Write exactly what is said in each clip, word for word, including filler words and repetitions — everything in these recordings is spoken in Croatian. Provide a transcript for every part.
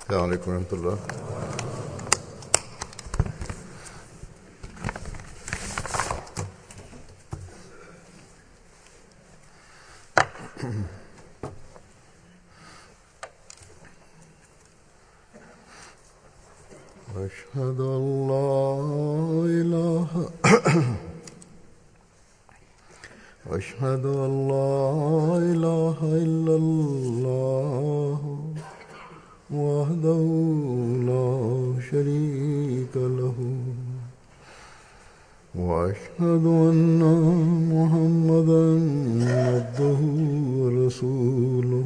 السلام عليكم ورحمة الله. أشهد أن لا إله أشهد أن لا إله إلا الله وحده لا شريك له وأشهد أن محمدا عبده ورسوله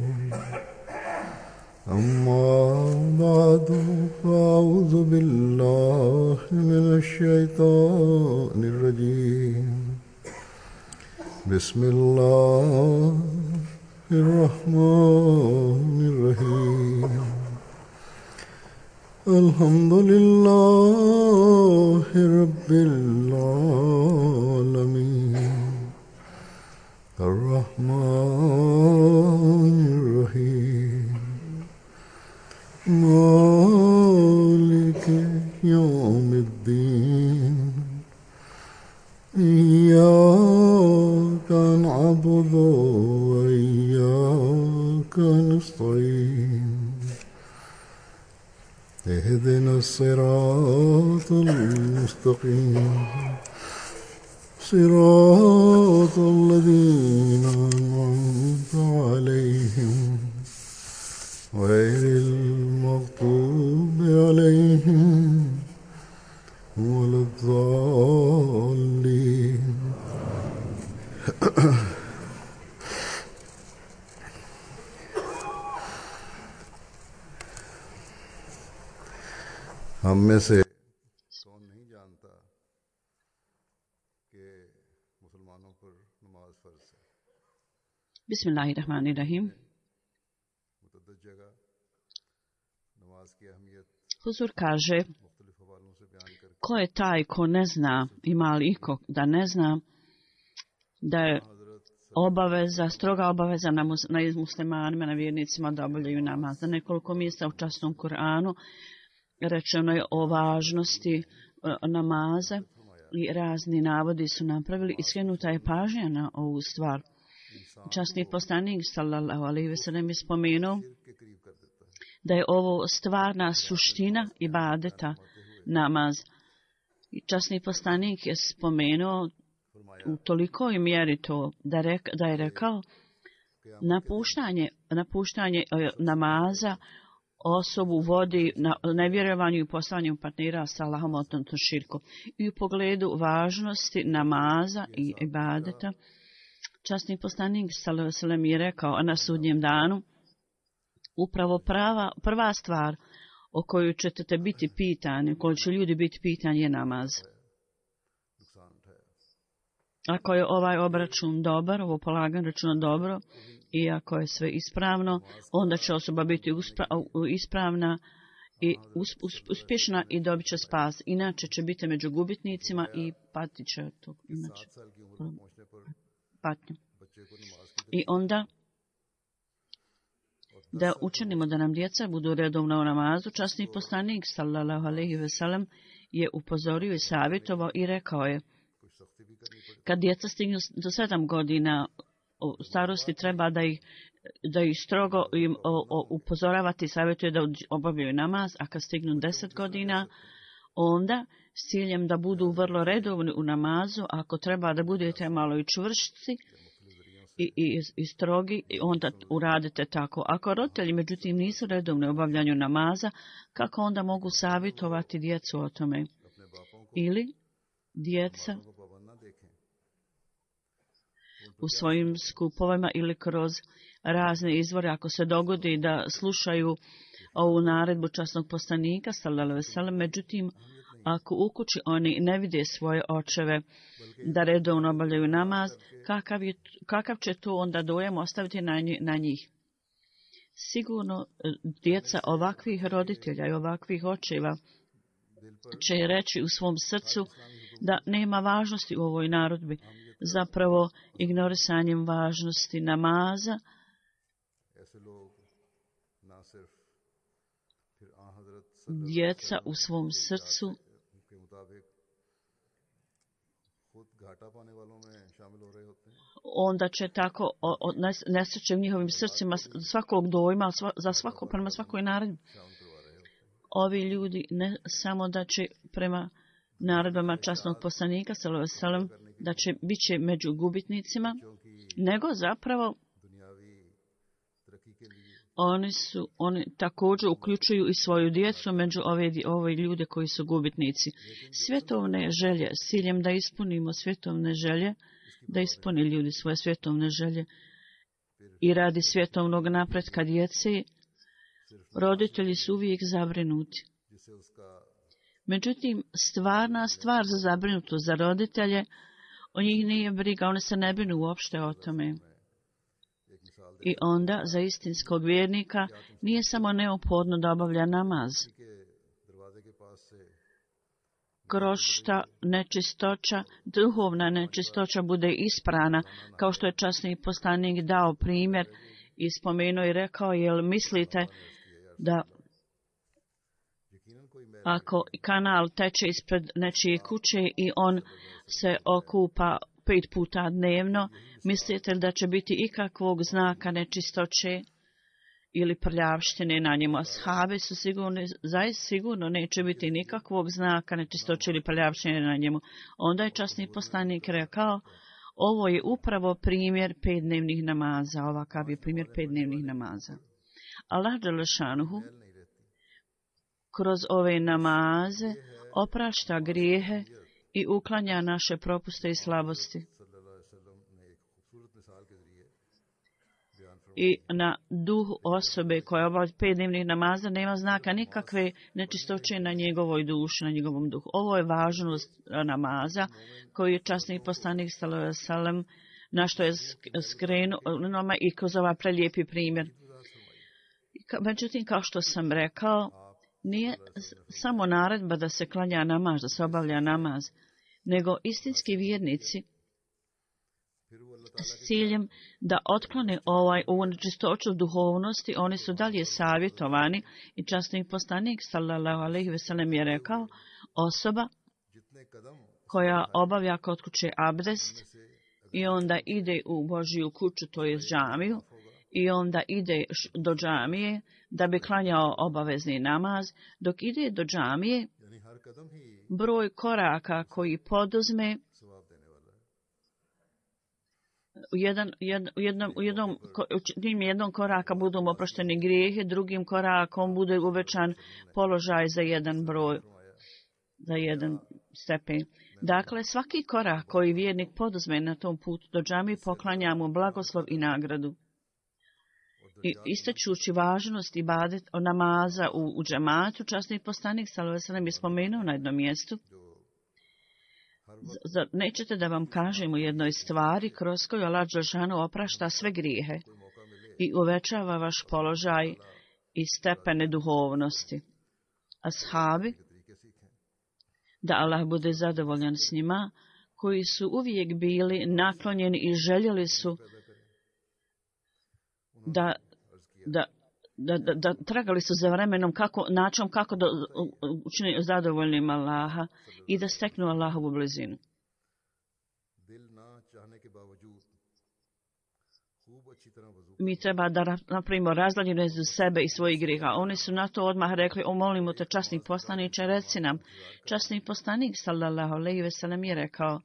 أما بعد فأعوذ بالله من الشيطان الرجيم بسم الله الرحمن الرحيم الحمد لله رب العالمين الرحمن الرحيم مالك يوم الدين إياك نعبد وإياك نستعين اهدنا الصراط المستقيم صراط الذين أنعمت عليهم غير المغضوب عليهم ولا الضالين. हम में से कौन नहीं जानता कि मुसलमानों पर नमाज फर्ज है. Bismillahirrahmanirrahim. मुतअद्दिद जगह नमाज की अहमियत Huzur kaže, मुख्तलिफ हवालों से बयान करके ko je taj ko ne zna, ima li iko da ne zna, da je obaveza, stroga obaveza na, mus, na muslimanima, na vjernicima da obavljaju namaz. Na nekoliko mjesta u časnom Kur'anu rečeno je o važnosti uh, namaza i razni navodi su napravili i skrenuta je pažnja na ovu stvar. Časni poslanik sallallahu alejhi ve sellem je spomenuo da je ovo stvarna suština ibadeta namaz. I časni poslanik je spomenuo u tolikoj mjeri to da, rek, da je rekao napuštanje, napuštanje e, namaza osobu vodi na nevjerovanju i postavljanju partnera sa Allahom odnosno širku. I u pogledu važnosti namaza i ibadeta časni poslanik sallallahu alejhi ve sellem je rekao na sudnjem danu upravo prava, prva stvar o kojoj ćete biti pitani, o kojoj će ljudi biti pitani je namaz. Ako je ovaj obračun dobar, ovo polaganje računa dobro i ako je sve ispravno, onda će osoba biti uspra, ispravna i us, us, uspješna i dobit će spas. Inače će biti među gubitnicima i patit će to. Inače, patnju. I onda da učinimo da nam djeca budu redovno u namazu. Časni poslanik sallallahu alejhi ve sellem je upozorio i savjetovao i rekao je kad djeca stignu do sedam godina u starosti treba da ih, da ih strogo im o, o, upozoravati i savjetuje da obavljaju namaz, a kad stignu deset godina onda s ciljem da budu vrlo redovni u namazu, ako treba da budete malo i čvršci I, i, i strogi, onda uradite tako. Ako roditelji međutim nisu redovni u obavljanju namaza, kako onda mogu savjetovati djecu o tome? Ili djeca u svojim skupovima ili kroz razne izvore, ako se dogodi da slušaju ovu naredbu časnog poslanika, sallallahu alejhi ve sellem, međutim, ako u kući oni ne vide svoje očeve da redovno obavljaju namaz, kakav, je, kakav će to onda dojam ostaviti na, na njih? Sigurno djeca ovakvih roditelja i ovakvih očeva će reći u svom srcu da nema važnosti u ovoj narodbi. Zapravo ignorisanjem važnosti namaza djeca u svom srcu के मुताबिक खुद घाटा पाने वालों में शामिल हो रहे होते हैं, onda će tako o- o- nes- nesreće u njihovim srcima s- svakog dojma sva, za svako, prema svakoj naredbi. शामिल करवा रहे होते हैं। Ovi ljudi ne samo da će prema naredbama časnog poslanika sallallahu alejhi ve sellem da će bit će među gubitnicima, क्योंकि nego zapravo दुनियावी तरक्की के लिए oni su oni također uključuju i svoju djecu među ove, ove ljude koji su gubitnici. Svjetovne želje, s ciljem da ispunimo svjetovne želje, da ispuni ljudi svoje svjetovne želje i radi svjetovnog napretka djece, roditelji su uvijek zabrinuti. जिससे उसका Međutim, stvarna stvar za zabrinutost za roditelje, o njih nije briga, oni se ne brinu uopšte o tome. एक मिसाल I onda, za istinskog vjernika, nije samo neophodno da obavlja namaz. के दरवाजे के पास से Krošta, nečistoća, duhovna nečistoća bude isprana, kao što je časni poslanik dao primjer i spomenuo i rekao, jel mislite da यकीनन कोई मैल ako kanal teče ispred nečije kuće i on se okupa pet puta dnevno, mislite li da će biti ikakvog znaka nečistoće ili prljavštine na njemu? Ashabi su sigurno, zaista sigurno neće biti nikakvog znaka nečistoće ili prljavštine na njemu. Onda je časni poslanik rekao, ovo je upravo primjer petdnevnih namaza, ovakav je primjer petdnevnih namaza. Allah dželešanuhu नहीं रहती। kroz ove namaze oprašta grijehe i uklanja naše propuste i slabosti. सल्लल्लाहु अलैहि वसल्लम ने एक खूबसूरत मिसाल के जरिए बयान फरमाया I na duh osobe koja obavlja pet dnevnih namaza nema znaka nikakve nečistoće na njegovoj duši, na njegovom duhu. Ovo je važnost namaza koju je časni poslanik sallallahu alejhi ve sellem na što je sk- skrenuo nama i kroz ovaj prelijepi primjer. Ka- Međutim, kao što sam rekao, nije s- samo naredba da se klanja namaz, da se obavlja namaz, nego istinski vjernici फिर वो अल्लाह ताला s ciljem da otklone ovaj ovu nečistoću duhovnosti, oni su dalje savjetovani i časni poslanik sallallahu alejhi ve sellem je rekao, osoba जितने कदम koja obavlja kod kuće abdest i onda ide u Božju kuću, to je džamiju, i onda ide š- do džamije da bi klanjao obavezni namaz, dok ide do džamije, यानी हर कदम ही broj koraka koji poduzme सवाब देने वाला है। u jedan, jed, u jednom, u jednom, ko- u tim jednom koraka budu mu oprošteni grijehe, drugim korakom bude uvećan položaj za jedan broj, za jedan stepen. Dakle, svaki korak koji vjernik poduzme na tom putu do džamije poklanja mu blagoslov i nagradu. I istačući važnost ibadet o namaza u, u džematu, časni poslanik sallallahu alejhi ve sellem je spomenuo na jednom mjestu, Z- zar nećete da vam kažem u jednoj stvari kroz koju Allah dželešanu oprašta sve grijehe i uvećava vaš položaj i stepene duhovnosti. Ashabi, तरीके सीखें। da Allah bude zadovoljan s njima, koji su uvijek bili naklonjeni i željeli su da, da, da, da, da tragali su za vremenom kako, načom kako da učine zadovoljnim Allaha i da steknu Allahovu blizinu. दिल ना चाहने के बावजूद खूब अच्छी तरह वजू Mi treba da ra- napravimo razdaljinu između sebe i svojih grijeha. Oni su na to odmah rekli, o molimo te časni poslaniče, reci nam. Časni poslanik sallallahu alejhi ve sellem je rekao,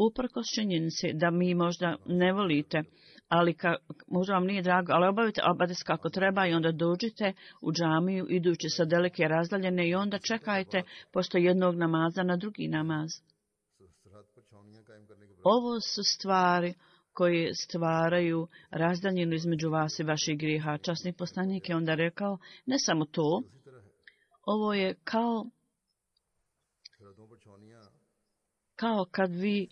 uprkos činjenici da mi možda ne volite, ali ka, možda vam nije drago, ali obavite abades kako treba i onda dođite u džamiju idući sa daleke razdaljene i onda čekajte posto jednog namaza na drugi namaz. सरहद पर छावनियां कायम करने के Ovo su stvari koje stvaraju razdaljinu između vas i vaših grijeha. Časni poslanik je onda rekao, ne samo to, उसी तरह है। ovo je kao, सरहदों पर छावनियां kao kad vi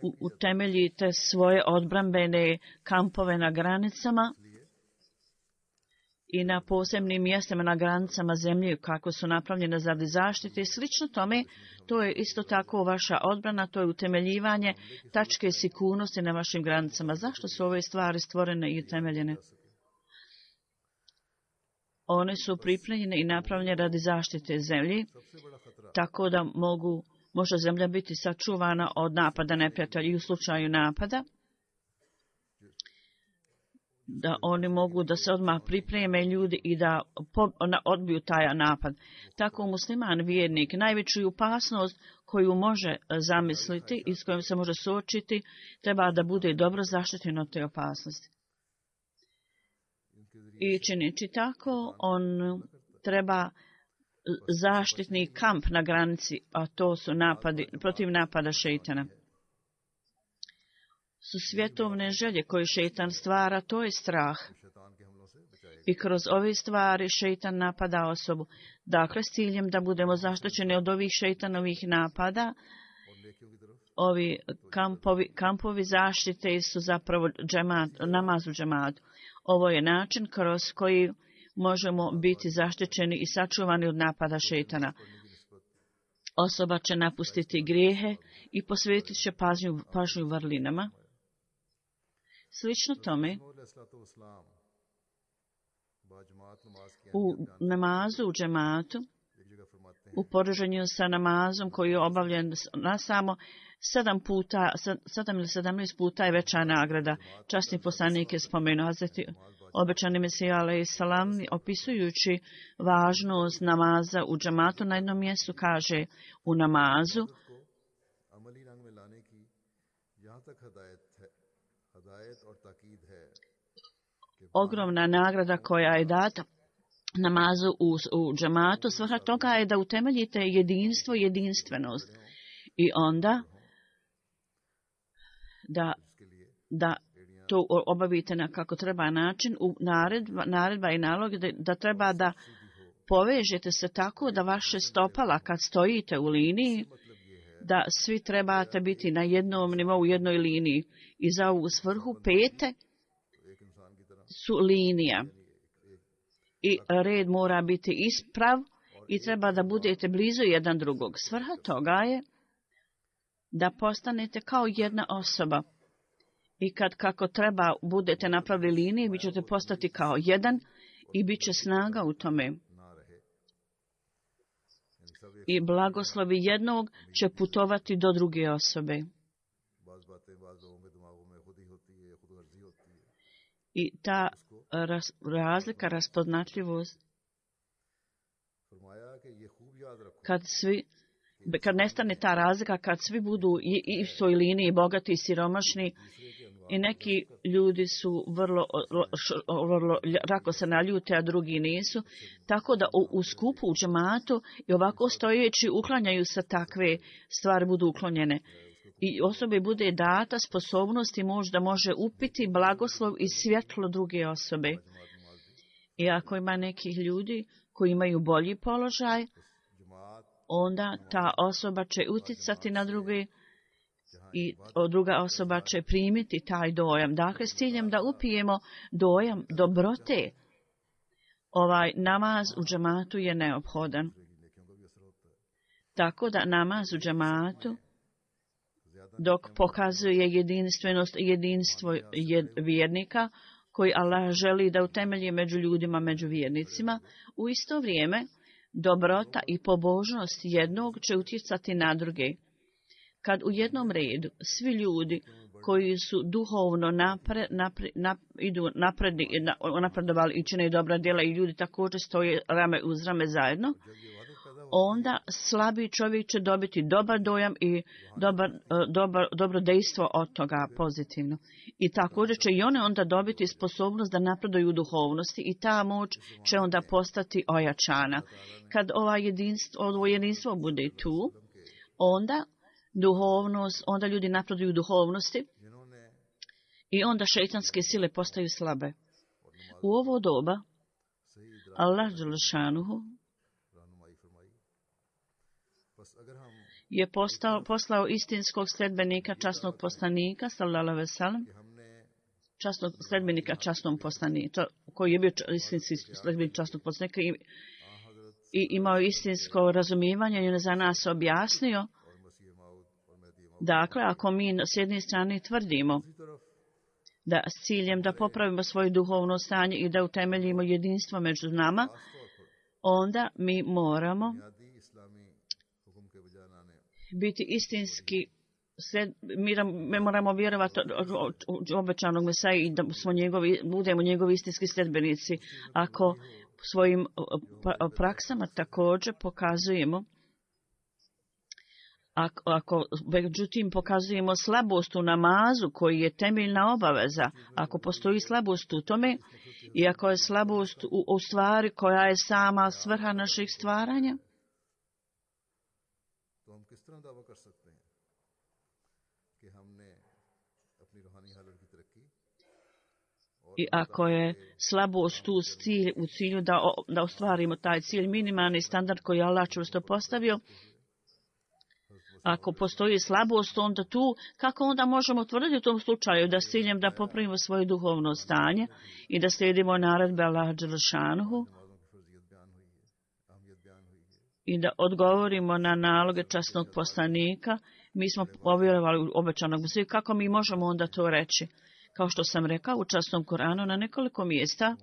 u- utemeljite svoje odbrambene kampove na granicama i na posebnim mjestima na granicama zemlje kako su napravljene za zaštite i slično tome, to je isto tako vaša odbrana, to je utemeljivanje tačke sigurnosti na vašim granicama. Zašto su ove stvari stvorene i utemeljene? One su pripremljene i napravljene radi zaštite zemlje, tako da mogu, može zemlja biti sačuvana od napada neprijatelja i u slučaju napada, da oni mogu da se odmah pripreme ljudi i da odbiju taj napad. Tako musliman vjernik najveću opasnost koju može zamisliti i s kojom se može suočiti, treba da bude dobro zaštićen od te opasnosti. I čineći tako, on treba zaštitni kamp na granici, a to su napadi, protiv napada šejtana. Su svjetovne želje koje šejtan stvara, to je strah. I kroz ove stvari šejtan napada osobu. Dakle, s ciljem da budemo zaštićeni od ovih šejtanovih napada, ovi kampovi, kampovi zaštite su zapravo džemat, namaz u džematu. Ovo je način kroz koji možemo biti zaštićeni i sačuvani od napada šejtana. Osoba će napustiti grijehe i posvetit će pažnju, pažnju vrlinama. Slično tome, u namazu u džematu, u poređenju sa namazom koji je obavljen na samo sedam puta, sedam ili sedamnaest puta je veća nagrada. Časni poslanik je spomenuo Hazreti obećani Mesija alejhi selam, opisujući važnost namaza u džematu, na jednom mjestu kaže u namazu ogromna nagrada koja je data namazu u, u džematu, svrha toga je da utemeljite jedinstvo i jedinstvenost. I onda da, da to obavite na kako treba način, u naredba, naredba i nalog da, da treba da povežete se tako da vaše stopala kad stojite u liniji, da svi trebate biti na jednom nivou, u jednoj liniji. I za ovu svrhu pete su linija. I red mora biti isprav i treba da budete blizu jedan drugog. Svrha toga je da postanete kao jedna osoba. I kad kako treba budete napravili linije, vi ćete postati kao jedan i bit će snaga u tome. I blagoslovi jednog će putovati do druge osobe. I ta raz, razlika, raspoznatljivost, kad svi, kad nestane ta razlika, kad svi budu i, i u svoj liniji bogati i siromašni, i neki ljudi su vrlo, vrlo rako se naljute, a drugi nisu, tako da u, u skupu, u džematu i ovako stojeći uklanjaju se takve stvari, budu uklonjene. I osobi bude data sposobnost i moć da može upiti blagoslov i svjetlo druge osobe. I ako ima nekih ljudi koji imaju bolji položaj, onda ta osoba će uticati na druge i druga osoba će primiti taj dojam. Dakle, s ciljem da upijemo dojam dobrote, ovaj namaz u džematu je neophodan. Tako da namaz u džematu, dok pokazuje jedinstvenost i jedinstvo vjernika, koji Allah želi da utemelji među ljudima, među vjernicima, u isto vrijeme dobrota i pobožnost jednog će utjecati na druge. Kad u jednom redu svi ljudi koji su duhovno napre, napre, nap, idu napredni, napredovali i čine dobra djela i ljudi također stoje rame uz rame zajedno, onda slabi čovjek će dobiti dobar dojam i dobar, dobar, dobro dejstvo od toga pozitivno. I također će i one onda dobiti sposobnost da napreduju u duhovnosti i ta moć će onda postati ojačana. Kad ova jedinstvo, ovo jedinstvo bude tu, onda duhovnost, onda ljudi napreduju u duhovnosti i onda šejtanske sile postaju slabe. U ovo doba Allah dželešanuhu je postao, poslao istinskog sledbenika, časnog poslanika, sallallahu alejhi ve sellem, časnog sledbenika, časnom poslaniku, koji je bio istinski sledbenik časnog poslanika i, i imao istinsko razumijevanje i on je za nas objasnio. Dakle, ako mi s jedne strane tvrdimo da s ciljem da popravimo svoje duhovno stanje i da utemeljimo jedinstvo među nama, onda mi moramo biti istinski, mi, mi moramo vjerovati u obećanog Mesaja i da smo njegovi, budemo njegovi istinski sljedbenici. Ako svojim praksama također pokazujemo, ako, ako međutim pokazujemo slabost u namazu koji je temeljna obaveza, ako postoji slabost u tome i ako je slabost u, u stvari koja je sama svrha naših stvaranja, i ako je slabost u cilju, u cilju da, da ostvarimo taj cilj, minimalni standard koji je Allah čvrsto postavio, ako postoji slabost, onda tu, kako onda možemo tvrditi u tom slučaju da s ciljem da popravimo svoje duhovno stanje i da slijedimo naredbe Allaha dželešanuhu i da odgovorimo na naloge časnog poslanika, mi smo povjerovali u obećanog Mesiju, kako mi možemo onda to reći? Kao što sam rekao u časnom Koranu na nekoliko mjesta,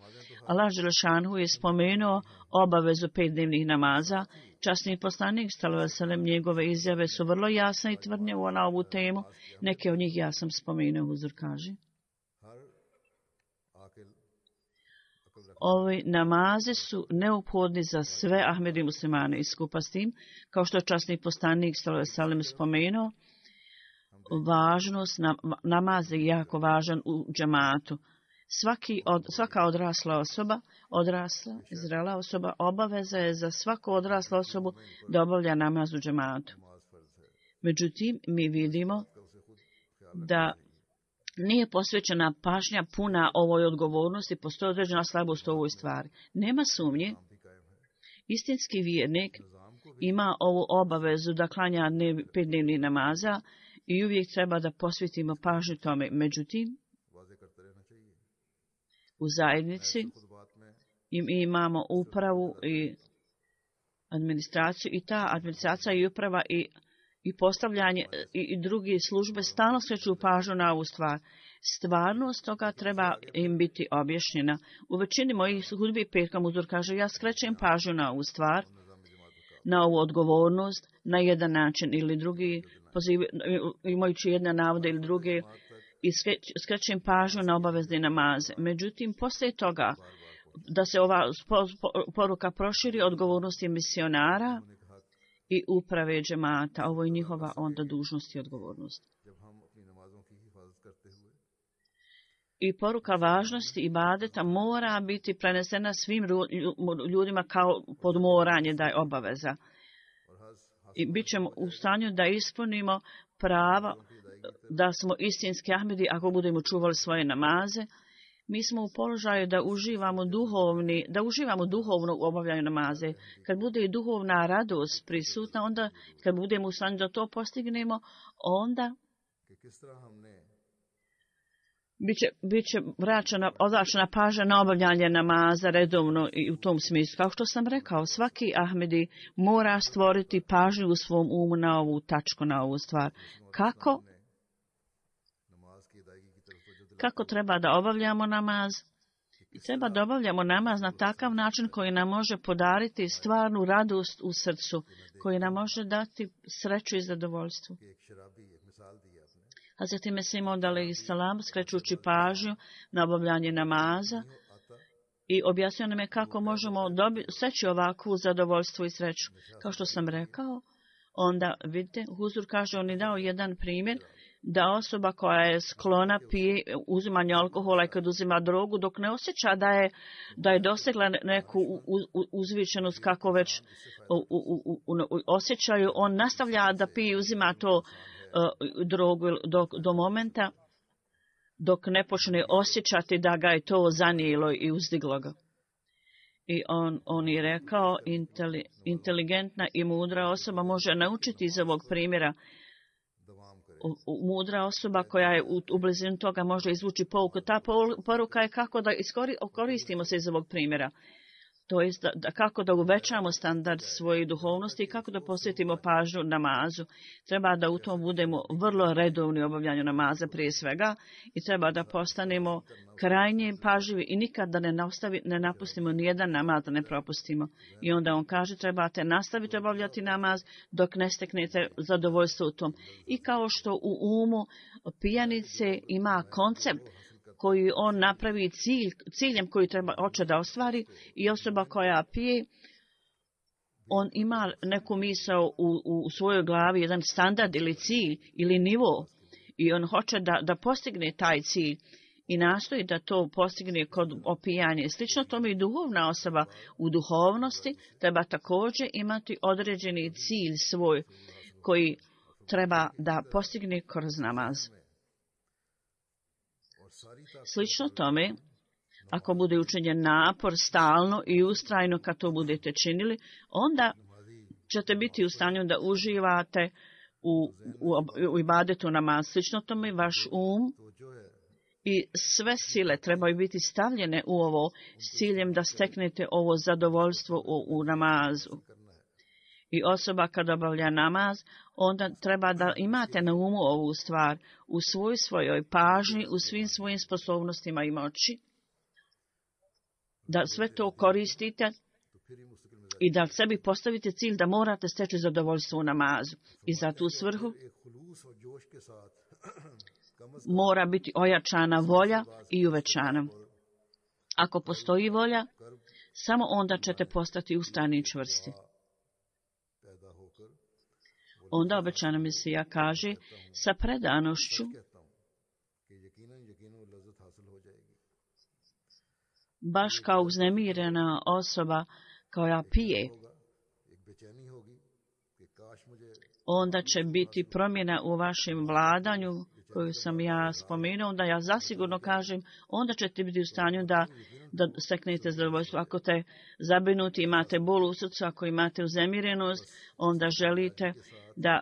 Allah dželešanuhu je spomenuo obavezu petdnevnih namaza. Časni poslanik sallallahu alejhi ve sellem, njegove izjave su vrlo jasne i tvrdnje na ovu temu. Neke od njih ja sam spomenuo, huzur kaže. Ovi namaze su neophodni za sve Ahmedi muslimane i skupa s tim, kao što je časni poslanik sallallahu alejhi ve sellem spomenuo, važnost na, namaza je jako važan u džematu. Svaki od, svaka odrasla osoba, odrasla, zrela osoba, obaveza je za svaku odraslu osobu da obavlja namaz u džematu. Međutim, mi vidimo da nije posvećena pažnja puna ovoj odgovornosti, postoji određena slabost u ovoj stvari. Nema sumnje, istinski vjernik ima ovu obavezu da klanja dnev, pet dnevnih namaza i uvijek treba da posvetimo pažnju tome. Međutim, u zajednici mi imamo upravu i administraciju i ta administracija i uprava i, i postavljanje i, i druge službe stalno skreću pažnju na ovu stvar. Stvarnost toga treba im biti objašnjena. U većini mojih hudbi petkom uzor kaže, ja skrećem pažnju na ovu stvar, na ovu odgovornost, na jedan način ili drugi, poziv, imajući jedne navode ili druge, i skrećem pažnju na obavezne namaze. Međutim, poslije toga, da se ova poruka proširi, odgovornosti misionara i uprave džemata, ovo je njihova onda dužnost i odgovornost. I poruka važnosti ibadeta mora biti prenesena svim ljudima kao podmoranje da je obaveza. I bit ćemo u stanju da ispunimo prava, da smo istinski Ahmedi ako budemo čuvali svoje namaze. Mi smo u položaju da uživamo duhovni, da uživamo duhovno u obavljanju namaze. Kad bude i duhovna radost prisutna, onda kad budemo u stanju da to postignemo, onda biće, biće vraćena, odvraćena pažnja na obavljanje namaza redovno i u tom smislu. Kao što sam rekao, svaki Ahmedi mora stvoriti pažnju u svom umu na ovu tačku, na ovu stvar. Kako? Kako treba da obavljamo namaz? I treba da obavljamo namaz na takav način koji nam može podariti stvarnu radost u srcu, koji nam može dati sreću i zadovoljstvo. Hazreti Mesih Maud alejhi selam, skrećući pažnju na obavljanje namaza i objasnio nam je kako možemo dobi, steći ovakvu zadovoljstvo i sreću. Kao što sam rekao, onda vidite, huzur kaže, on je dao jedan primjer da osoba koja je sklona pije uzimanje alkohola i kad uzima drogu, dok ne osjeća da je, da je dosegla neku uzvišenost kako već u, u, u, u, osjećaju, on nastavlja da pije i uzima to uh, drogu do, do momenta dok ne počne osjećati da ga je to zanijelo i uzdiglo ga. I on, on je rekao, inteli, inteligentna i mudra osoba može naučiti iz ovog primjera. Mudra osoba koja je u, u blizini toga može izvući pouku. Ta poruka je kako da iskori, koristimo se iz ovog primjera. To jest da, da, kako da uvećamo standard svoje duhovnosti i kako da posvetimo pažnju namazu. Treba da u tom budemo vrlo redovni u obavljanju namaza prije svega i treba da postanemo krajnje pažljivi i nikad da ne, nastavi, ne napustimo nijedan namaz, da ne propustimo. I onda on kaže trebate nastaviti obavljati namaz dok ne steknete zadovoljstvo u tom. I kao što u umu pijanice ima koncept koji on napravi cilj, ciljem koji treba hoće da ostvari i osoba koja pije, on ima neku misao u, u svojoj glavi, jedan standard ili cilj ili nivo i on hoće da, da postigne taj cilj i nastoji da to postigne kod opijanja. Slično tome i duhovna osoba u duhovnosti treba također imati određeni cilj svoj koji treba da postigne kroz namaz. Slično tome, ako bude učinjen napor stalno i ustrajno kad to budete činili, onda ćete biti u stanju da uživate u, u, u ibadetu namaz. Slično tome, vaš um i sve sile trebaju biti stavljene u ovo s ciljem da steknete ovo zadovoljstvo u, u namazu. I osoba kad obavlja namaz, onda treba da imate na umu ovu stvar u svoj svojoj pažnji, u svim svojim sposobnostima i moći, da sve to koristite i da sebi postavite cilj da morate steći zadovoljstvo u namazu. I za tu svrhu mora biti ojačana volja i uvećana. Ako postoji volja, samo onda ćete postati ustrajni i čvrsti. Onda obećana Mesija kaže sa predanošću baš kao uznemirena osoba koja pije, onda će biti promjena u vašem vladanju koju sam ja spomenuo, onda ja zasigurno kažem, onda ćete biti u stanju da, da steknete zadovoljstvo. Ako te zabrinuti, imate bol u srcu, ako imate uznemirenost, onda želite da,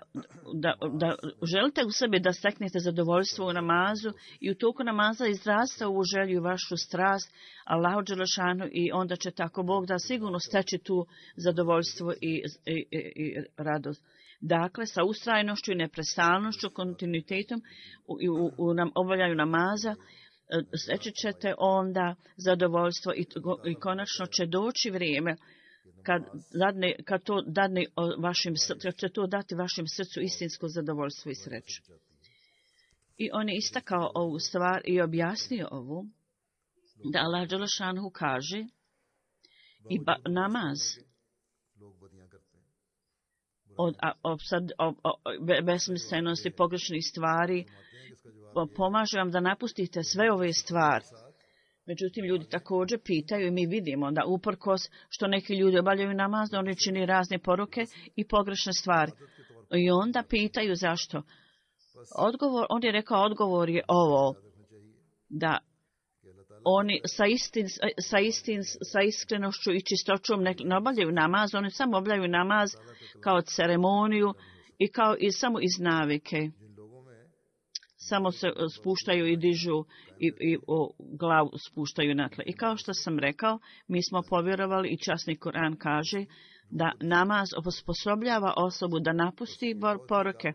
da, da želite u sebi da steknete zadovoljstvo u namazu i u toku namaza izrasta ovu želju i vašu strast Allahu dželešanu i onda će tako Bog da sigurno steći tu zadovoljstvo i, i, i, i radost. Dakle, sa ustrajnošću i neprestalnošću, kontinuitetom u, u, u nam, obavljanju namaza, steći ćete onda zadovoljstvo i, i konačno će doći vrijeme kad, dadne, kad, to dadne vašim, kad će to dati vašem srcu istinsko zadovoljstvo i sreću. I on je istakao ovu stvar i objasnio ovu, da Allah dželešanu kaže i ba, namaz od obsad, ob, ob, besmislenosti, pogrešnih stvari, pomaže vam da napustite sve ove stvari. Međutim, ljudi također pitaju i mi vidimo da uprkos što neki ljudi obavljaju namaz, da oni čini razne poruke i pogrešne stvari. I onda pitaju zašto. Odgovor, on je rekao, odgovor je ovo, da oni sa, istin, sa, istin, sa iskrenošću i čistoćom ne, ne obavljaju namaz, oni samo obavljaju namaz kao ceremoniju i kao i samo iz navike. Samo se spuštaju i dižu i, i o, glavu spuštaju na tle. I kao što sam rekao, mi smo povjerovali i časni Kur'an kaže da namaz osposobljava osobu da napusti poruke.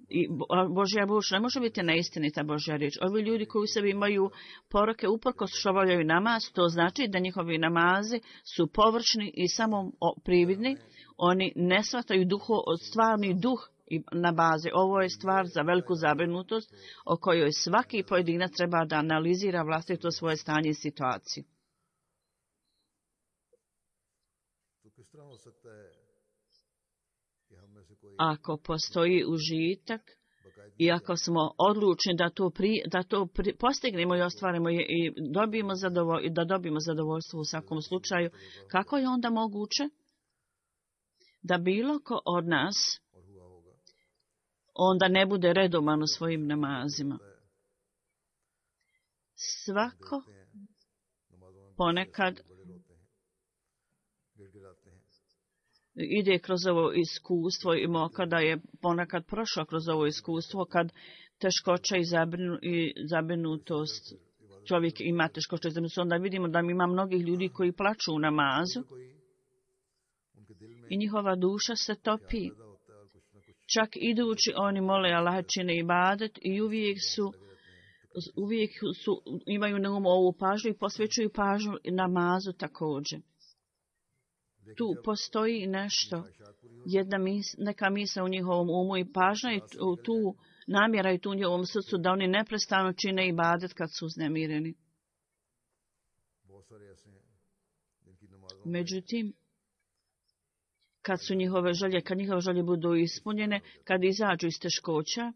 I Božja riječ ne može biti neistinita Božja riječ. Ovi ljudi koji u sebi imaju poroke uprkos što obavljaju namaz, to znači da njihovi namazi su površni i samo prividni. Oni ne shvataju duho, stvarni duh na bazi. Ovo je stvar za veliku zabrinutost o kojoj svaki pojedinac treba da analizira vlastito svoje stanje i situaciju. Ako postoji užitak i ako smo odlučni da to, pri, da to pri, postignemo i ostvarimo i, i dobijemo zadovolj, da dobijemo zadovoljstvo u svakom slučaju, kako je onda moguće da bilo ko od nas onda ne bude redovan u svojim namazima? Svako ponekad ide kroz ovo iskustvo i kada je ponekad prošao kroz ovo iskustvo, kad teškoća i, zabrinu, i zabrinutost čovjek ima teškoće, onda vidimo da ima mnogih ljudi koji plaču u namazu i njihova duša se topi. Čak idući oni mole Allah, čine ibadet i uvijek su uvijek su, imaju na umu ovu pažnju i posvećuju pažnju namazu također. Tu postoji nešto, jedna mis, neka misa u njihovom umu i pažnja i tu, tu namjera i tu u njihovom srcu da oni neprestano čine ibadet kad su uznemireni. Međutim, kad su njihove želje, kad njihove želje budu ispunjene, kad izađu iz teškoća,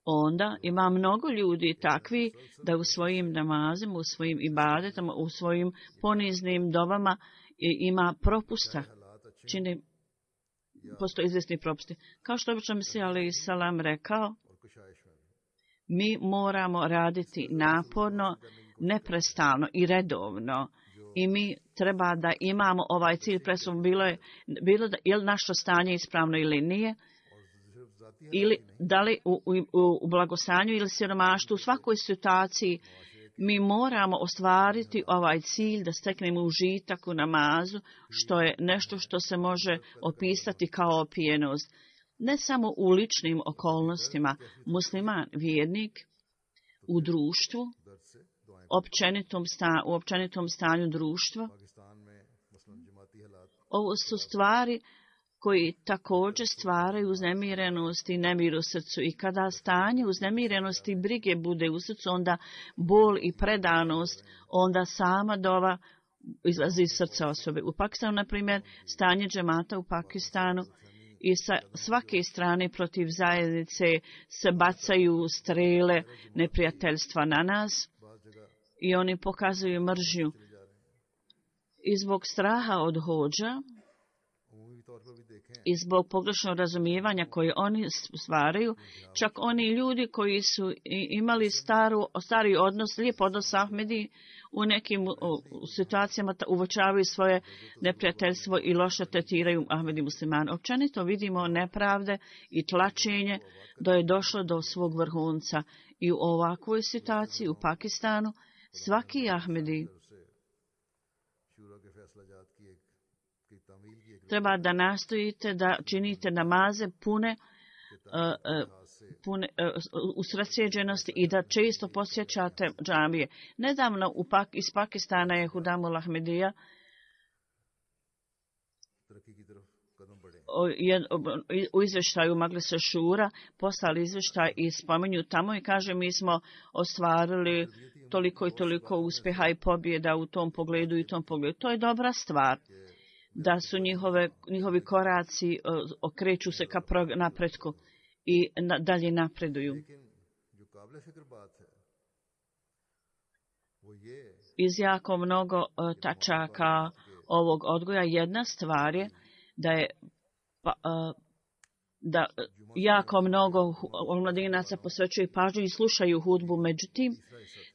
onda ima mnogo ljudi takvi da u svojim namazima, u svojim ibadetama, u svojim poniznim dovama ima propusta. Čini, postoji izvjesni propusti. Kao što obično Mesija alejhi selam rekao, mi moramo raditi naporno, neprestalno i redovno. I mi treba da imamo ovaj cilj presum, bilo je, bilo da, je li naše stanje ispravno ili nije, ili da li u, u, u blagostanju ili siromaštvu, u svakoj situaciji mi moramo ostvariti ovaj cilj da steknemo užitak u namazu, što je nešto što se može opisati kao opijenost. Ne samo u ličnim okolnostima, musliman, vjernik, u društvu, općenitom sta, u općenitom stanju društva. Ovo su stvari koji također stvaraju uznemirenost i nemir u srcu. I kada stanje uznemirenosti i brige bude u srcu, onda bol i predanost, onda sama dova izlazi iz srca osobe. U Pakistanu, na primjer, stanje džemata u Pakistanu i sa svake strane protiv zajednice se bacaju strele neprijateljstva na nas i oni pokazuju mržnju. I zbog straha od hođa i zbog pogrešnog razumijevanja koje oni stvaraju, čak oni ljudi koji su imali staru, stari odnos, lijep odnos s Ahmedi, u nekim u, u situacijama uvočavaju svoje neprijateljstvo i loše tretiraju Ahmedi muslimane. Općenito vidimo nepravde i tlačenje da je došlo do svog vrhunca. I u ovakvoj situaciji u Pakistanu svaki Ahmedi treba da nastojite da činite namaze pune, uh, uh, pune uh, usredsjeđenosti i da često posjećate džamije. Nedavno u Pak, iz Pakistana je Hudamul Ahmedija u izvještaju Majlisa Šura poslali izvještaj i spominju tamo i kaže mi smo ostvarili toliko i toliko uspjeha i pobjeda u tom pogledu i tom pogledu. To je dobra stvar. Da su njihove, njihovi koraci uh, okreću se ka napretku i na, dalje napreduju. Iz jako mnogo uh, tačaka ovog odgoja jedna stvar je da je pa, uh, da jako mnogo omladinaca posvećuju pažnju i slušaju hudbu. Međutim,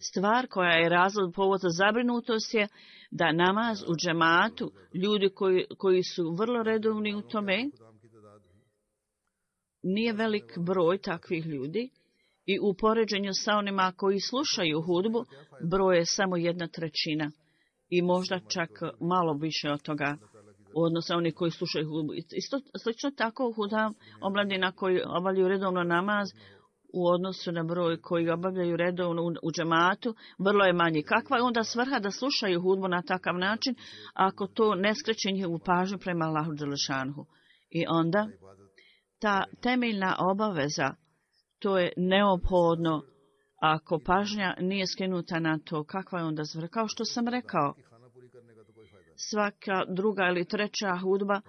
stvar koja je razlog povod za zabrinutost je da namaz u džematu, ljudi koji, koji su vrlo redovni u tome, nije velik broj takvih ljudi i u poređenju sa onima koji slušaju hudbu, broj je samo jedna trećina i možda čak malo više od toga u odnosu oni koji slušaju hudbu. Isto slično tako hudam omladina koji obavljaju redovno namaz u odnosu na broj koji obavljaju redovno u, u džematu, vrlo je manji. Kakva je onda svrha da slušaju hudbu na takav način, ako to ne skreće njihovu pažnju prema Allahu dželešanhu? I onda ta temeljna obaveza, to je neophodno, ako pažnja nije skrenuta na to, kakva je onda svrha? Kao što sam rekao, svaka druga ili treća hudba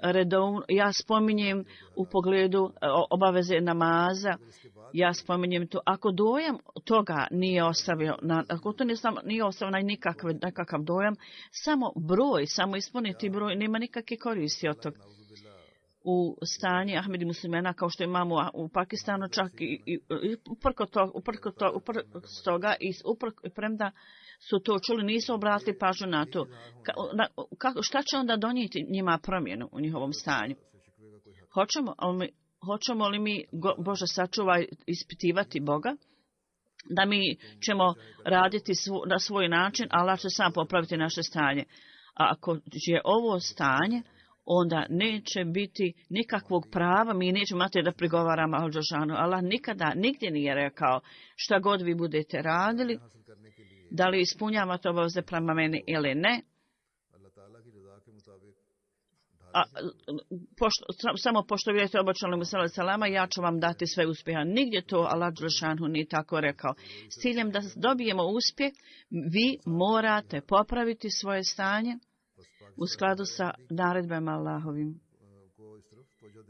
redovno, ja spominjem u pogledu obaveze namaza, ja spominjem to, ako dojam toga nije ostavio, na, ako to nije ostavio na nikakve, nekakav dojam, samo broj, samo ispuniti broj, nema nikakve koristi od toga. U stanji Ahmedi muslimana, kao što imamo u Pakistanu, čak i, i, i uprko to, uprko to, uprko toga i uprko, premda su to čuli, nisu obratili pažnju na to. Ka, na, ka, šta će onda donijeti njima promjenu u njihovom stanju? Hoćemo, ali mi, hoćemo li mi, Bože sačuvaj, ispitivati Boga, da mi ćemo raditi svo, na svoj način, Allah će sam popraviti naše stanje. A ako je ovo stanje, onda neće biti nikakvog prava, mi nećemo imati da prigovaramo Al-Đelešanu. Allah nikada, nigdje nije rekao šta god vi budete radili, da li ispunjavate obaveze prema meni ili ne. A, pošto, samo pošto vidite obočali mu salama, ja ću vam dati sve uspjeha. Nigdje to Allah Đelešanu nije tako rekao. S ciljem da dobijemo uspjeh, vi morate popraviti svoje stanje u skladu sa naredbama Allahovim.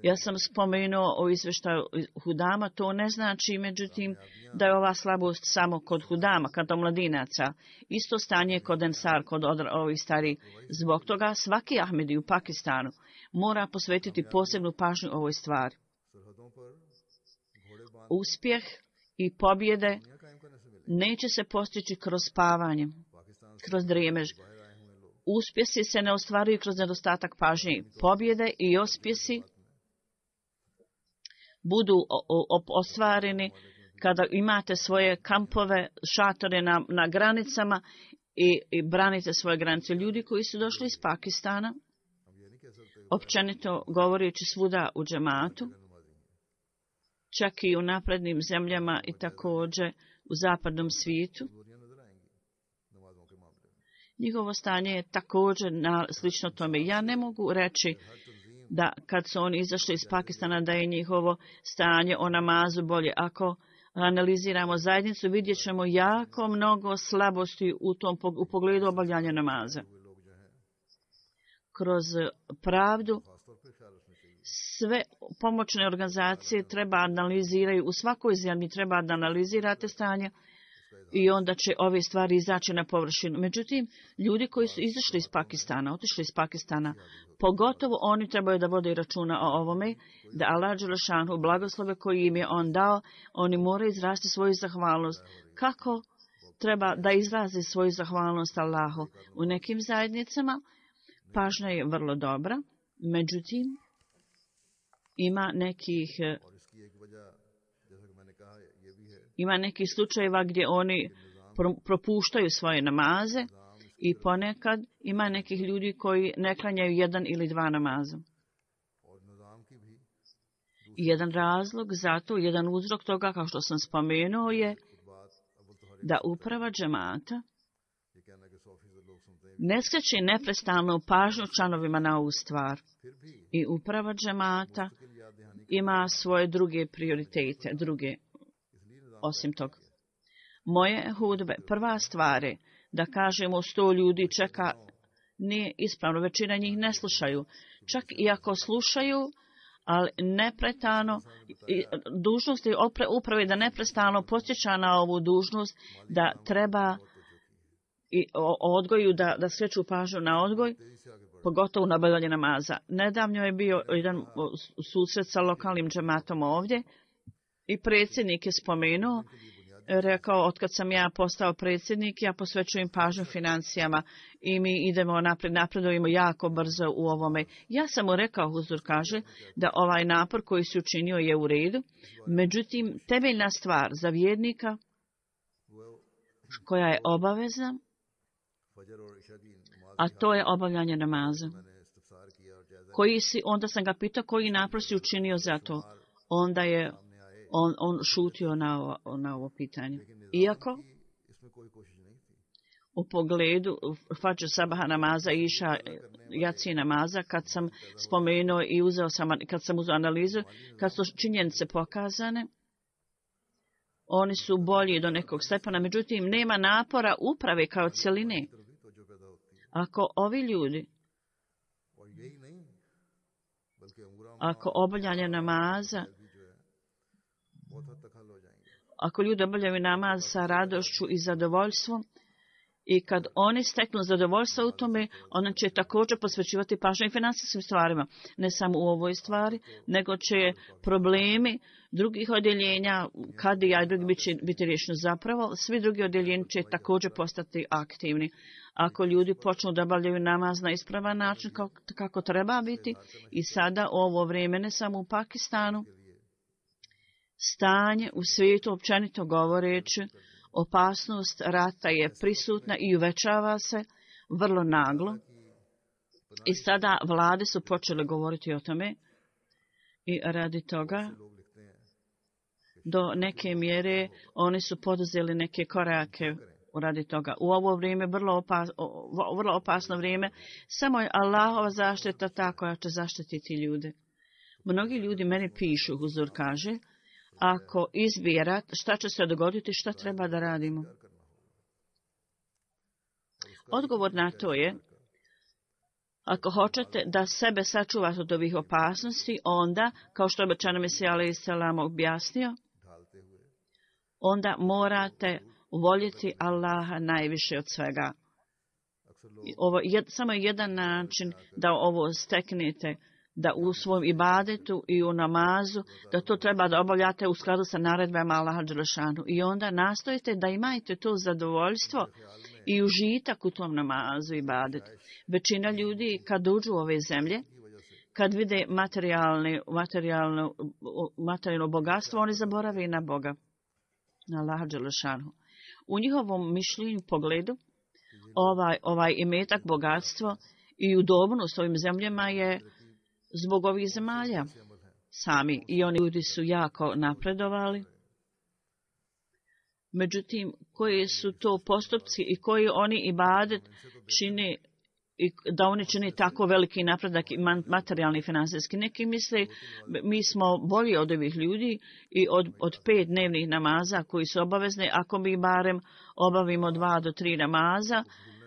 Ja sam spomenuo o izvještaju Hudama, to ne znači, međutim, da je ova slabost samo kod Hudama, kod omladinaca. Isto stanje kod Ensar, kod ovih starih. Zbog toga svaki Ahmedi u Pakistanu mora posvetiti posebnu pažnju ovoj stvari. Uspjeh i pobjede neće se postići kroz spavanje, kroz drijemež. Uspjesi se ne ostvaruju kroz nedostatak pažnje. Pobjede i uspjesi budu ostvareni kada imate svoje kampove, šatore na, na granicama i, i branite svoje granice. Ljudi koji su došli iz Pakistana, općenito govoreći svuda u džematu, čak i u naprednim zemljama i također u zapadnom svijetu, njihovo stanje je također na, slično tome. Ja ne mogu reći da kad su oni izašli iz Pakistana da je njihovo stanje o namazu bolje. Ako analiziramo zajednicu, vidjet ćemo jako mnogo slabosti u, tom, u pogledu obavljanja namaza. Kroz pravdu sve pomoćne organizacije treba analiziraju, u svakoj zemlji treba da analizirate stanje i onda će ove stvari izaći na površinu. Međutim, ljudi koji su izašli iz Pakistana, otišli iz Pakistana, pogotovo oni trebaju da vode računa o ovome, da Allah Đelešanu blagoslove koji im je on dao, oni moraju izrasti svoju zahvalnost. Kako treba da izrazi svoju zahvalnost Allahu? U nekim zajednicama pažnja je vrlo dobra, međutim, ima nekih Ima nekih slučajeva gdje oni propuštaju svoje namaze i ponekad ima nekih ljudi koji ne klanjaju jedan ili dva namaza. I jedan razlog za to, jedan uzrok toga, kao što sam spomenuo, je da uprava džemata ne skreće neprestano pažnju članovima na ovu stvar. I uprava džemata ima svoje druge prioritete, druge osim toga. Moje hudbe, prva stvar je da kažemo sto ljudi čeka, nije ispravno, većina njih ne slušaju. Čak i ako slušaju, ali neprestano, dužnost je uprave da neprestano podsjeća na ovu dužnost, da treba i o odgoju, da, da skreću pažnju na odgoj, pogotovo na obavljanje namaza. Nedavno je bio jedan susret sa lokalnim džematom ovdje i predsjednik je spomenuo, rekao, otkad sam ja postao predsjednik, ja posvećujem pažnju financijama i mi idemo napred, napredujemo jako brzo u ovome. Ja sam mu rekao, Huzur kaže, da ovaj napor koji si učinio je u redu, međutim, temeljna stvar za vjernika koja je obavezna, a to je obavljanje namaza. Koji si, onda sam ga pitao koji napor si učinio za to. Onda je on, on šutio na ovo, na ovo pitanje. Iako u pogledu Fadž sabaha namaza i iša jaci namaza, kad sam spomenuo i uzeo sam, kad sam uzeo analizu, kad su činjenice pokazane, oni su bolji do nekog stepena, međutim nema napora uprave kao cjeline. Ako ovi ljudi, ako obavljanje namaza, ako ljudi obavljaju namaz sa radošću i zadovoljstvom, i kad oni steknu zadovoljstvo u tome, ona će također posvećivati pažnju i financijskim stvarima. Ne samo u ovoj stvari, nego će problemi drugih odjeljenja, kad i ja drugi biti, biti riješeno zapravo, svi drugi odjeljenji će također postati aktivni. Ako ljudi počnu da obavljaju namaz na ispravan način kako, kako treba biti, i sada ovo vrijeme ne samo u Pakistanu, stanje u svijetu, općenito govoreći, opasnost rata je prisutna i uvećava se vrlo naglo. I sada vlade su počele govoriti o tome i radi toga do neke mjere oni su poduzeli neke korake radi toga. U ovo vrijeme, vrlo, opas, vrlo opasno vrijeme, samo je Allahova zaštita ta koja će zaštititi ljude. Mnogi ljudi meni pišu, Huzur kaže, ako izbije rat, šta će se dogoditi, šta treba da radimo? Odgovor na to je, ako hoćete da sebe sačuvate od ovih opasnosti, onda, kao što je obećano Mesija alejhi selam objasnio, onda morate voljeti Allaha najviše od svega. Ovo je samo jedan način da ovo steknete, da u svom ibadetu i u namazu, da to treba da obavljate u skladu sa naredbama Allaha dželešanu. I onda nastojite da imate to zadovoljstvo i užitak u tom namazu i ibadetu. Većina ljudi kad uđu u ove zemlje, kad vide materijalne, materijalno, materijalno bogatstvo, oni zaborave na Boga, na Allaha dželešanu. U njihovom mišljenju, pogledu, ovaj, ovaj imetak, bogatstvo i udobnost ovim zemljama je zbog ovih zemalja sami. I oni ljudi su jako napredovali. Međutim, koji su to postupci i koji oni ibadet čine, i da oni čini tako veliki napredak i materijalni i finansijski. Neki misle, mi smo bolji od ovih ljudi i od, od pet dnevnih namaza koji su obavezni, ako mi barem obavimo dva do tri namaza,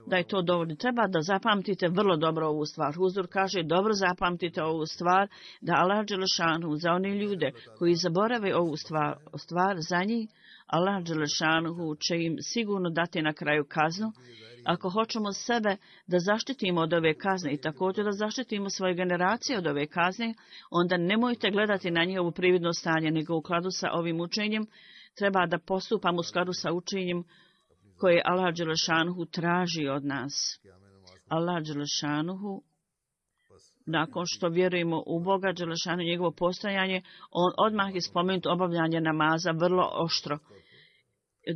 da je to dovoljno. Treba da zapamtite vrlo dobro ovu stvar. Huzur kaže, dobro zapamtite ovu stvar, da Allah dželešanu za one ljude koji zaborave ovu stvar, stvar za njih, Allah dželešanu će im sigurno dati na kraju kaznu. Ako hoćemo sebe da zaštitimo od ove kazne i također da zaštitimo svoje generacije od ove kazne, onda nemojte gledati na njihovo prividno stanje, nego u skladu sa ovim učenjem treba da postupamo u skladu sa učenjem koje Allah dželešanuhu traži od nas. Allah dželešanuhu, nakon što vjerujemo u Boga dželešanuhu i njegovo postojanje, on odmah je spomenut obavljanje namaza vrlo oštro.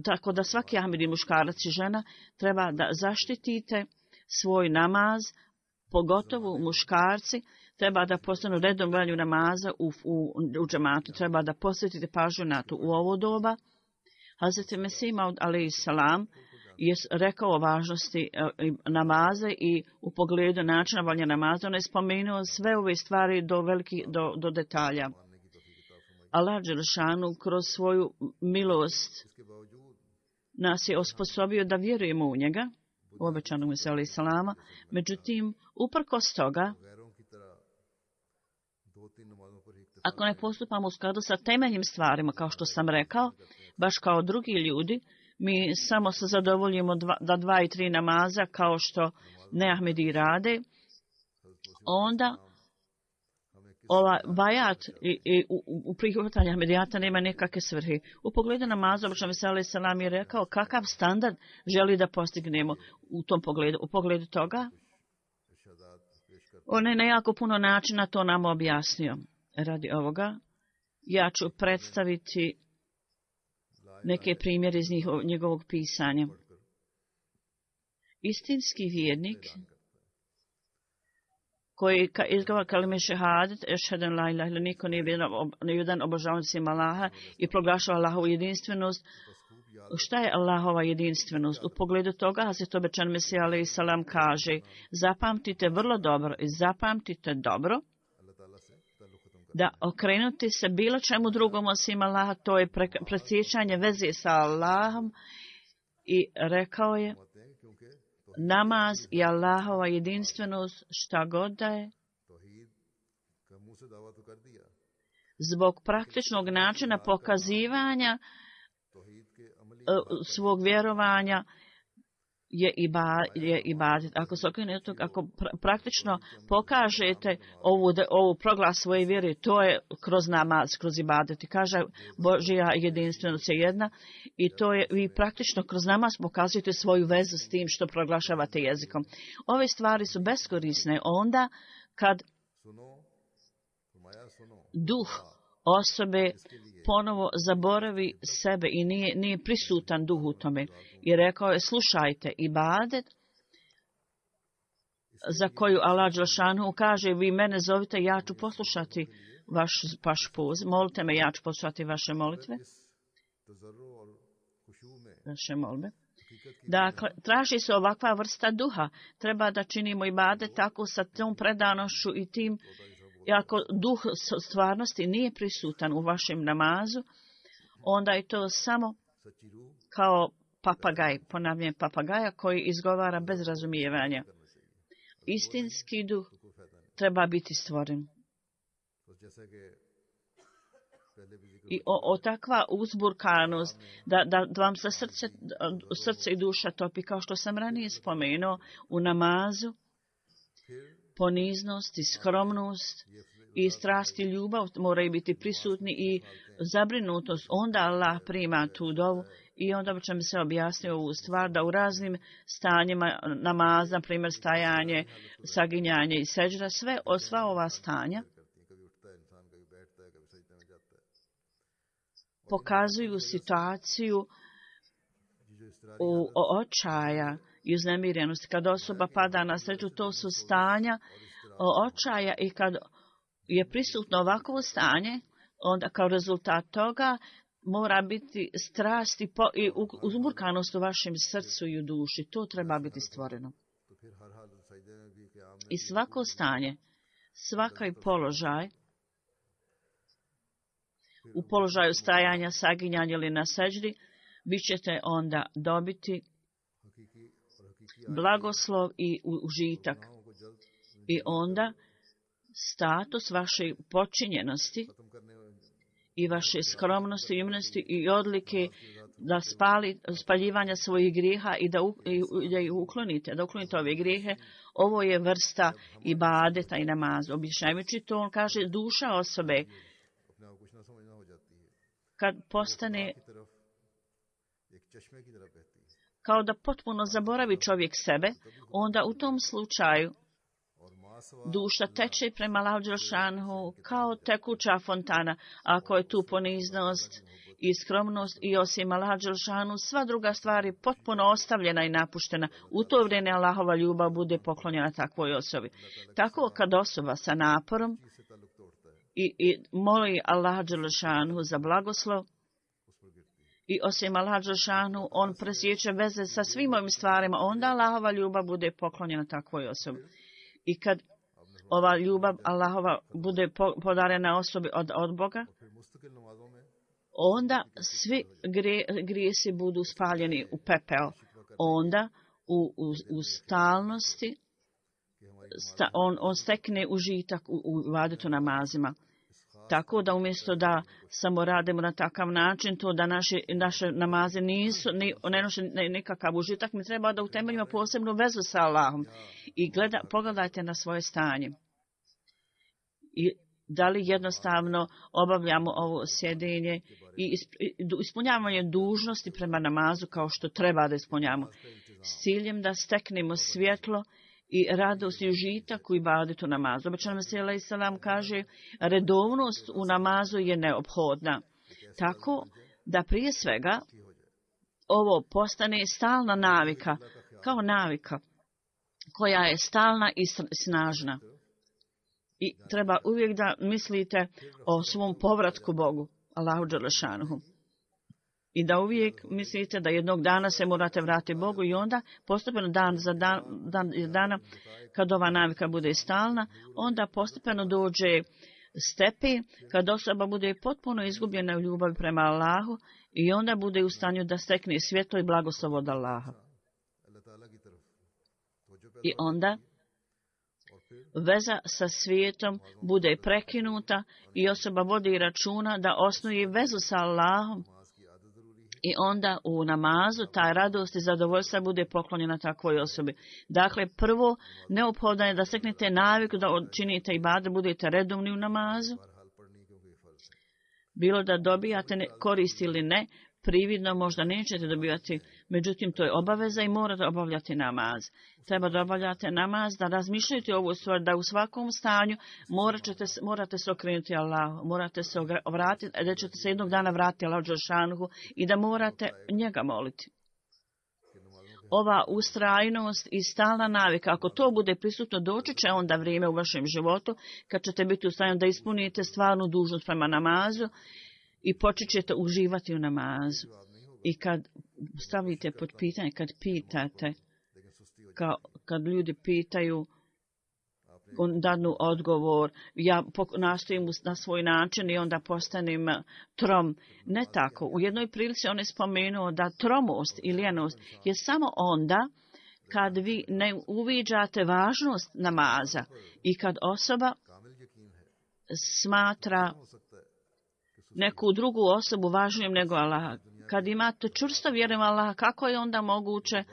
Tako da svaki ahmedi muškarac i žena treba da zaštitite svoj namaz, pogotovo muškarci, treba da postanu redom valju namaza u, u, u džematu, treba da posvetite pažnju na to u ovo doba. Hazreti Mesih Maud alejhi selam je rekao o važnosti namaza i u pogledu načina valja namaza, on je spomenuo sve ove stvari do, veliki, do, do detalja. Allah dželešanu kroz svoju milost nas je osposobio da vjerujemo u njega, u obećanog Mesija alejhi selama. Međutim, uprkos toga, ako ne postupamo u skladu sa temeljnim stvarima, kao što sam rekao, baš kao drugi ljudi, mi samo se zadovoljimo dva, da dva i tri namaza, kao što neahmedi rade, onda ova bajat i, i u, u prihvatanju ahmedijata nema nekakve svrhe. U pogledu namaza, obično Mesija alejhi selam je rekao kakav standard želi da postignemo u tom pogledu. U pogledu toga, on je na jako puno načina to nam objasnio. Radi ovoga, ja ću predstaviti neke primjere iz njihov, njegovog pisanja. Istinski vjernik koji izgovara kalime šehadet, ešheden la ilaha illa, niko nije jedan obožavajući sem Allaha i proglašava Allahovu jedinstvenost. Šta je Allahova jedinstvenost? U pogledu toga, Hazret obećan Mesija alejhi selam kaže, zapamtite vrlo dobro i zapamtite dobro da okrenuti se bilo čemu drugom osim Allaha, to je presjećanje veze sa Allahom, i rekao je, namaz i Allahova jedinstvenost, šta god da je, zbog praktičnog načina pokazivanja svog vjerovanja je ibadet. Ako se okrenete, ako pra- praktično pokažete ovu, ovu proglas svoje vjere, to je kroz namaz, kroz ibadet. I kaže, Božja jedinstvenost je jedna i to je, vi praktično kroz namaz pokazujete svoju vezu s tim što proglašavate jezikom. Ove stvari su beskorisne onda kad duh osobe ponovo zaboravi sebe i nije, nije prisutan duh u tome. I rekao je, slušajte, ibadet za koju Allah dželešanu kaže, vi mene zovite, ja ću poslušati vaš, vaš poziv, molite me, ja ću poslušati vaše molitve, vaše molbe. Dakle, traži se ovakva vrsta duha. Treba da činimo ibadet tako sa tom predanošću i tim, i ako duh stvarnosti nije prisutan u vašem namazu, onda je to samo kao papagaj, ponavljam papagaja koji izgovara bez razumijevanja. Istinski duh treba biti stvoren. I o, o takva uzburkanost, da, da, da vam se srce, srce i duša topi, kao što sam ranije spomenuo, u namazu, poniznost i skromnost i strast i ljubav moraju biti prisutni i zabrinutost. Onda Allah prima tu dovu i onda bi ćemo se objasniti ovu stvar da u raznim stanjima namaza, na primjer stajanje, saginjanje i seđda, sve, sva ova stanja pokazuju situaciju u očaja i uznemirenosti. Kad osoba pada na sreću, to su stanja očaja i kad je prisutno ovakvo stanje, onda kao rezultat toga mora biti strast i, po, i uzburkanost u vašem srcu i u duši. To treba biti stvoreno. I svako stanje, svaki položaj, u položaju stajanja, saginjanja ili na seđdi, vi ćete onda dobiti blagoslov i užitak. I onda status vaše počinjenosti i vaše skromnosti, imunosti i odlike da spali, spaljivanja svojih grijeha i da, u, i, da ih uklonite, da uklonite ove grijehe, ovo je vrsta ibadeta i namaza. Objašnjavajući to, on kaže duša osobe kad postane kao da potpuno zaboravi čovjek sebe, onda u tom slučaju duša teče prema Allahu dželešanu kao tekuća fontana. Ako je tu poniznost i skromnost i osim Allaha dželešanu, sva druga stvar je potpuno ostavljena i napuštena. U to vrijeme Allahova ljubav bude poklonjena takvoj osobi. Tako kad osoba sa naporom i, i moli Allaha dželešanu za blagoslov, i osim Allaha dželešanu, on presjeće veze sa svim ovim stvarima, onda Allahova ljubav bude poklonjena takvoj osobi. I kad ova ljubav Allahova bude podarena osobi od, od Boga, onda svi gre, grijesi budu spaljeni u pepeo. Onda u, u, u stalnosti sta, on, on stekne užitak u, u ibadetu namazima. Tako da umjesto da samo radimo na takav način, to da naše, naše namaze nisu, ni, ne noše nikakav užitak, mi treba da utemeljimo posebnu vezu sa Allahom. I gleda, pogledajte na svoje stanje. I da li jednostavno obavljamo ovo sjedenje i ispunjavanje dužnosti prema namazu kao što treba da ispunjavamo. S ciljem da steknemo svjetlo i radost i užitak u ibadetu namazu. Obećan Mesih alejhi selam kaže, redovnost u namazu je neophodna. Tako da prije svega ovo postane stalna navika, kao navika koja je stalna i snažna. I treba uvijek da mislite o svom povratku Bogu, Allahu dželešanuhu. I da uvijek mislite da jednog dana se morate vratiti Bogu i onda postepeno dan za dan, dan za dana, kad ova navika bude stalna, onda postepeno dođe stepen kad osoba bude potpuno izgubljena u ljubavi prema Allahu i onda bude u stanju da stekne svjetlo i blagoslov od Allaha. I onda veza sa svijetom bude prekinuta i osoba vodi računa da osnuje vezu sa Allahom. I onda u namazu ta radost i zadovoljstva bude poklonjena takvoj osobi. Dakle, prvo neophodno je da steknete naviku da činite ibadet, budete redovni u namazu. Bilo da dobijate korist ili ne, prividno možda nećete dobivati Međutim, to je obaveza i morate obavljati namaz. Treba da obavljate namaz, da razmišljate ovu stvar, da u svakom stanju morate, morate se okrenuti Allahu, morate se vratiti, da ćete se jednog dana vratiti Allahu dželešanohu i da morate njega moliti. Ova ustrajnost i stalna navika, ako to bude prisutno, doći će onda vrijeme u vašem životu kad ćete biti u stanju da ispunite stvarnu dužnost prema namazu i počet ćete uživati u namazu. I kad stavite pod pitanje, kad pitate, kao, kad ljudi pitaju, on dadnu odgovor, ja nastojim na svoj način i onda postanem trom. Ne tako. U jednoj prilici on je spomenuo da tromost i lijenost je samo onda kad vi ne uviđate važnost namaza i kad osoba smatra neku drugu osobu važnijom nego Allah. Kad imate čvrsto vjeru u Allaha, kako je onda moguće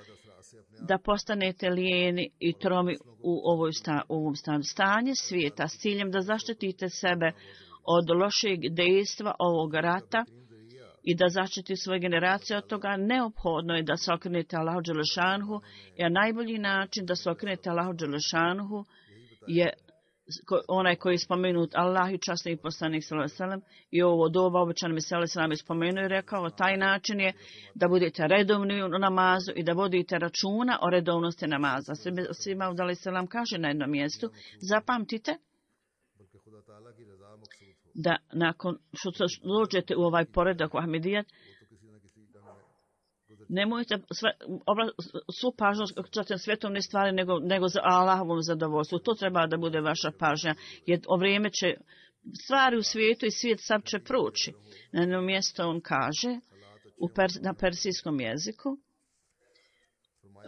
da postanete lijeni i tromi u ovoj sta, ovom stanju? Stanje svijeta s ciljem da zaštitite sebe od lošeg dejstva ovog rata i da zaštiti svoje generacije od toga, neophodno je da se okrenete Allahu dželešanhu, jer najbolji način da se okrenete Allahu dželešanhu je onaj koji je spomenut Allah i časni poslanik sallallahu alejhi ve sellem i ovo doba obećano mi sallallahu alejhi ve sellem je spomenuo i rekao, taj način je da budete redovni u namazu i da vodite računa o redovnosti namaza. Svima alejhi ve sellem kaže na jednom mjestu, zapamtite da nakon što dođete u ovaj poredak u Ahmedijat, nemojte sve, obla, svu pažnju za svjetovne stvari nego, nego za Allahovom zadovoljstvu. To treba da bude vaša pažnja, jer o vrijeme će stvari u svijetu i svijet sam će proći. Na jedno mjesto on kaže u pers, na persijskom jeziku,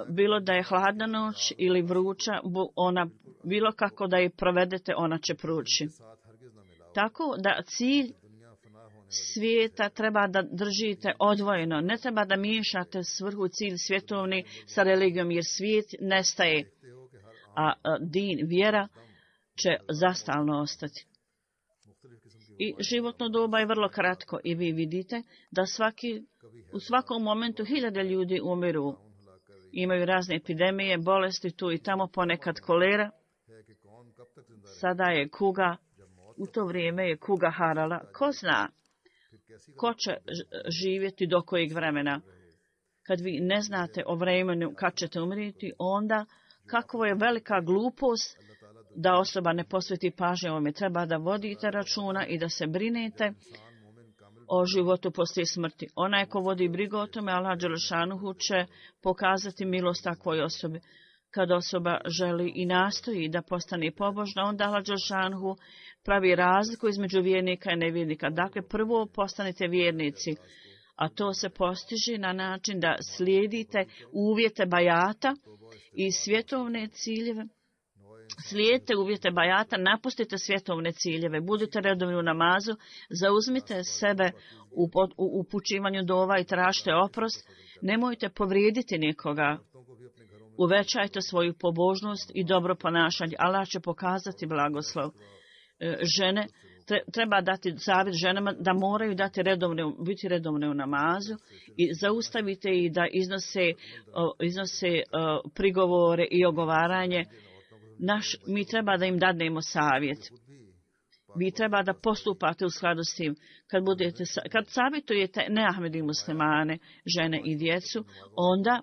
bilo da je hladna noć ili vruća, ona, bilo kako da je provedete, ona će proći. Tako da cilj svijeta treba da držite odvojeno. Ne treba da miješate svrhu cilj svjetovni sa religijom, jer svijet nestaje, a din, vjera će zastalno ostati. I životno doba je vrlo kratko i vi vidite da svaki, u svakom momentu hiljade ljudi umiru. Imaju razne epidemije, bolesti tu i tamo, ponekad kolera. Sada je kuga, u to vrijeme je kuga harala. Ko zna ko će živjeti do kojeg vremena? Kad vi ne znate o vremenu kad ćete umriti, onda kakvo je velika glupost da osoba ne posveti pažnje ovome. Treba da vodite računa i da se brinete o životu poslije smrti. Onaj ko vodi brigu o tome, Allah dželešanuhu će pokazati milost takvoj osobi. Kad osoba želi i nastoji da postane pobožna, onda Allah dželešanuhu pravi razliku između vjernika i nevjernika. Dakle, prvo postanite vjernici, a to se postiže na način da slijedite uvjete bajata i svjetovne ciljeve. Slijedite uvjete bajata, napustite svjetovne ciljeve, budite redovni u namazu, zauzmite sebe u upućivanju dova i tražite oprost, nemojte povrijediti nikoga. Uvećajte svoju pobožnost i dobro ponašanje. Allah će pokazati blagoslov. Žene, treba dati savjet ženama da moraju dati redovne, biti redovne u namazu i zaustavite ih da iznose, iznose prigovore i ogovaranje. Naš, mi treba da im dadnemo savjet. Vi treba da postupate u skladu s tim. Kad, budete, kad savjetujete neahmedi muslimane, žene i djecu, onda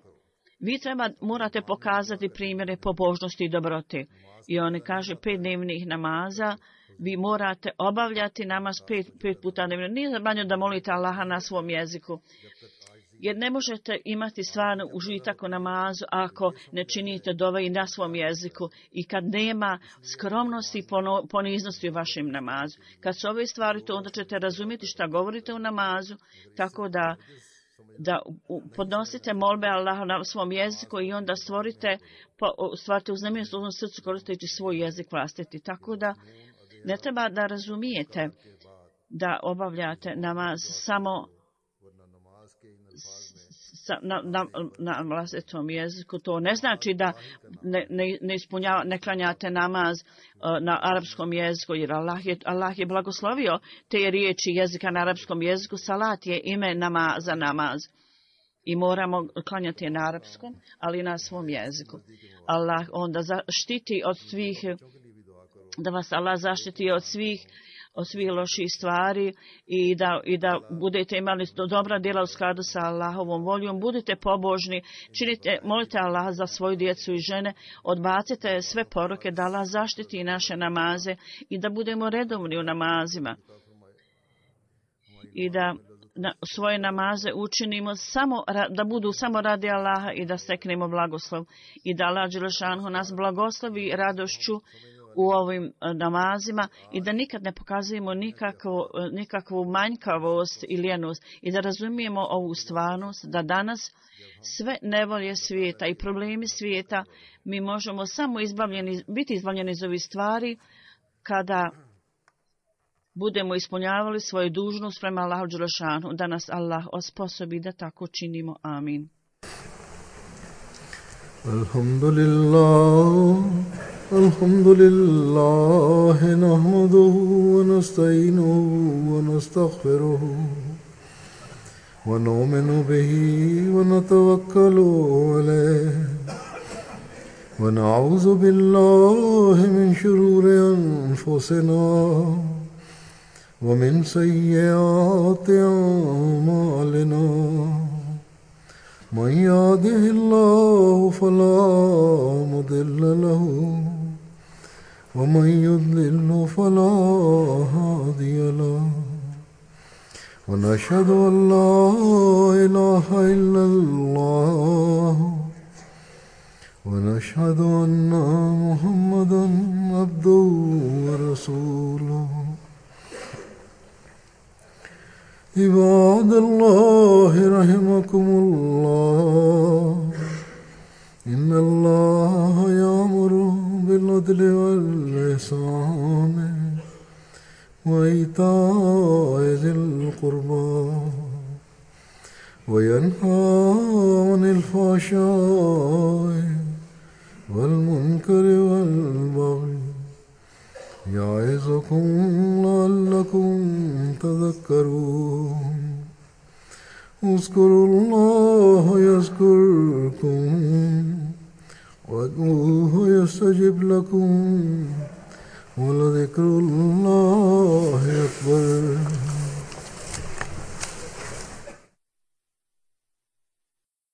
vi treba, morate pokazati primjere pobožnosti i dobrote. I oni kaže pet dnevnih namaza, vi morate obavljati namaz pet, pet puta dnevno. Nije zabranjeno da molite Allaha na svom jeziku. Jer ne možete imati stvarno užitak u namazu ako ne činite dove i na svom jeziku i kad nema skromnosti i poniznosti u vašem namazu. Kad su ove stvari to, onda ćete razumjeti šta govorite u namazu, tako da da podnosite molbe Allaha na svom jeziku i onda stvorite, stvarite uznemirenost u svom srcu koristeći svoj jezik vlastiti. Tako da ne treba da razumijete da obavljate namaz samo na, na, na vlastitom jeziku. To ne znači da ne, ne, ne, ispunjava, ne klanjate namaz uh, na arapskom jeziku, jer Allah je, Allah je blagoslovio te riječi jezika na arapskom jeziku. Salat je ime nama za namaz. i moramo klanjati na arapskom, ali na svom jeziku. Allah onda zaštiti od svih, da vas Allah zaštiti od svih od svih loših stvari i da, i da budete imali dobra djela u skladu sa Allahovom voljom. Budite pobožni, činite, molite Allah za svoju djecu i žene, odbacite sve poruke, da Allah zaštiti naše namaze i da budemo redovni u namazima. I da na svoje namaze učinimo samo, da budu samo radi Allaha i da steknemo blagoslov. I da Allah dželešanu nas blagoslovi radošću u ovim namazima i da nikad ne pokazujemo nikakvu, nikakvu manjkavost i ljenost i da razumijemo ovu stvarnost da danas sve nevolje svijeta i problemi svijeta mi možemo samo izbavljeni, biti izbavljeni iz ovih stvari kada budemo ispunjavali svoju dužnost prema Allahu dželešanu, da nas Allah osposobi da tako činimo. Amin. Alhamdulillah, alhamdulillah, nahmaduhu wa nasta'inuhu wa nastaghfiruhu wa nu'minu bihi wa natawakkalu alayhi wa na'udhu billahi min shururi anfusina ومن سيئات أعمالنا من يهده الله فلا مضل له ومن يضلل فلا هادي له ونشهد أن لا إله إلا الله ونشهد أن محمدا عبده ورسوله عباد الله رحمكم الله إن الله يأمر بالعدل والإحسان وإيتاء ذي القربى وينهى عن الفحشاء والمنكر والبغي يعظكم لعلكم تذكرون اذكروا الله يذكركم وادعوه يستجب لكم ولذكر الله أكبر.